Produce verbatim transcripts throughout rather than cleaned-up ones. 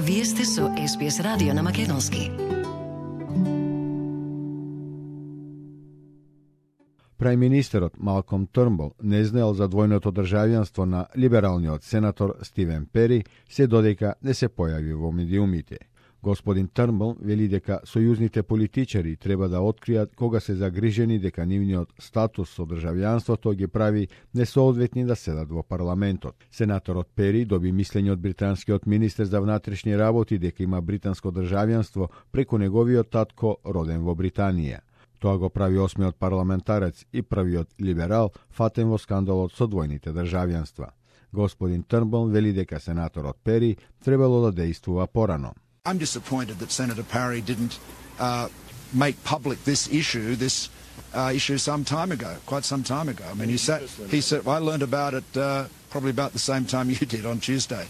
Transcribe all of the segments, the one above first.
Вие сте со Ес Би Ес радио на македонски. Прајминистерот Малком Трнбул не знаел за двојното државјанство на либералниот сенатор Стивен Пери, се додека не се појави во медиумите. Господин Трнбул вели дека сојузните политичари треба да откријат кога се загрижени дека нивниот статус со државјанството ги прави несоодветни да седат во парламентот. Сенаторот Пери доби мислење од британскиот министер за внатрешни работи дека има британско државјанство преку неговиот татко роден во Британија. Тоа го прави осмиот парламентарец и првиот либерал фатен во скандалот со двојните државјанства. Господин Трнбул вели дека сенаторот Пери требало да действува порано. I'm disappointed that Senator Parry didn't uh, make public this issue, this uh, issue some time ago, quite some time ago. I mean, he said, he said, I learned about it uh, probably about the same time you did on Tuesday.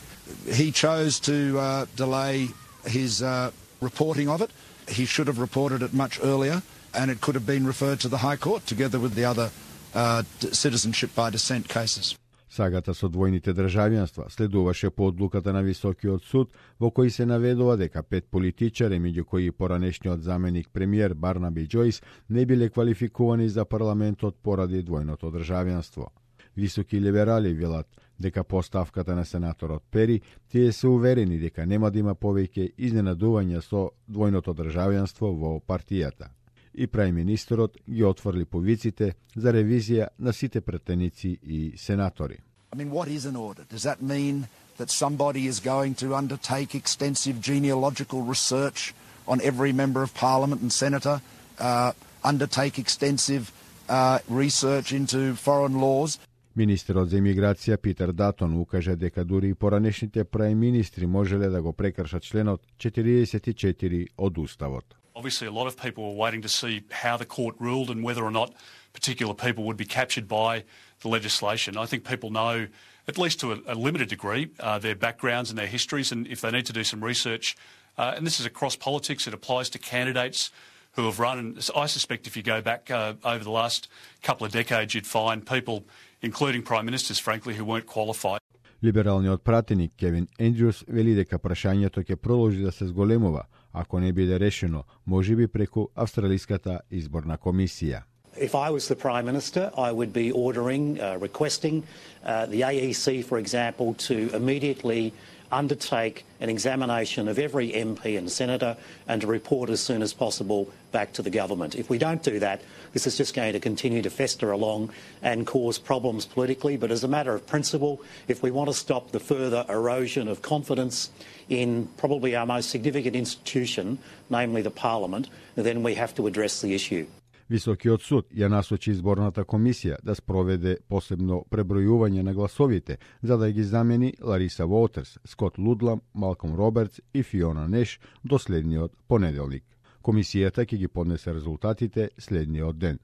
He chose to uh, delay his uh, reporting of it. He should have reported it much earlier, and it could have been referred to the High Court together with the other uh, citizenship by descent cases. Сагата со двојните државјанства следуваше по одлуката на Високиот суд, во кој се наведува дека пет политичари, меѓу кои поранешниот заменик премиер Барнаби Џојс, не биле квалификувани за парламентот поради двојното државјанство. Високи либерали велат дека по ставката на сенаторот Пери, тие се уверени дека нема да има повеќе изненадувања со двојното државјанство во партијата. И прајминистерот ги отворли повиците за ревизија на сите претеници и сенатори. I mean, what is an audit? Does that mean that somebody is going to undertake extensive genealogical research on every member of parliament and senator, uh, undertake extensive uh, research into foreign laws? Министерот за имиграција Питер Датон укажа дека дури и поранешните прајминистри можеле да го прекршат членот четириесет и четири од Уставот. Obviously, a lot of people were waiting to see how the court ruled and whether or not particular people would be captured by the legislation. I think people know, at least to a, a limited degree, uh, their backgrounds and their histories, and if they need to do some research, uh, and this is across politics, it applies to candidates who have run, and I suspect if you go back uh, over the last couple of decades, you'd find people, including Prime Ministers, frankly, who weren't qualified. Либералниот пратеник Кевин Ендрюс вели дека прашањето ќе продолжи да се зголемува, ако не биде решено, можеби преку Австралиската изборна комисија. If I was the Prime Minister, I would be ordering, uh, requesting uh, the A E C, for example, to immediately undertake an examination of every M P and senator and to report as soon as possible back to the government. If we don't do that, this is just going to continue to fester along and cause problems politically. But as a matter of principle, if we want to stop the further erosion of confidence in probably our most significant institution, namely the Parliament, then we have to address the issue. Високиот суд ја насочи изборната комисија да спроведе посебно пребројување на гласовите, за да ги замени Лариса Воутерс, Скот Лудлам, Малком Робертс и Фиона Неш до следниот понеделник. Комисијата ќе ги поднесе резултатите следниот ден.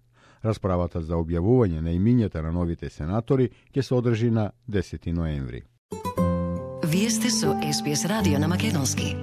Расправата за објавување на имињата на новите сенатори ќе се одржи на десети ноември. Вие сте со Ес Би Ес радио на македонски.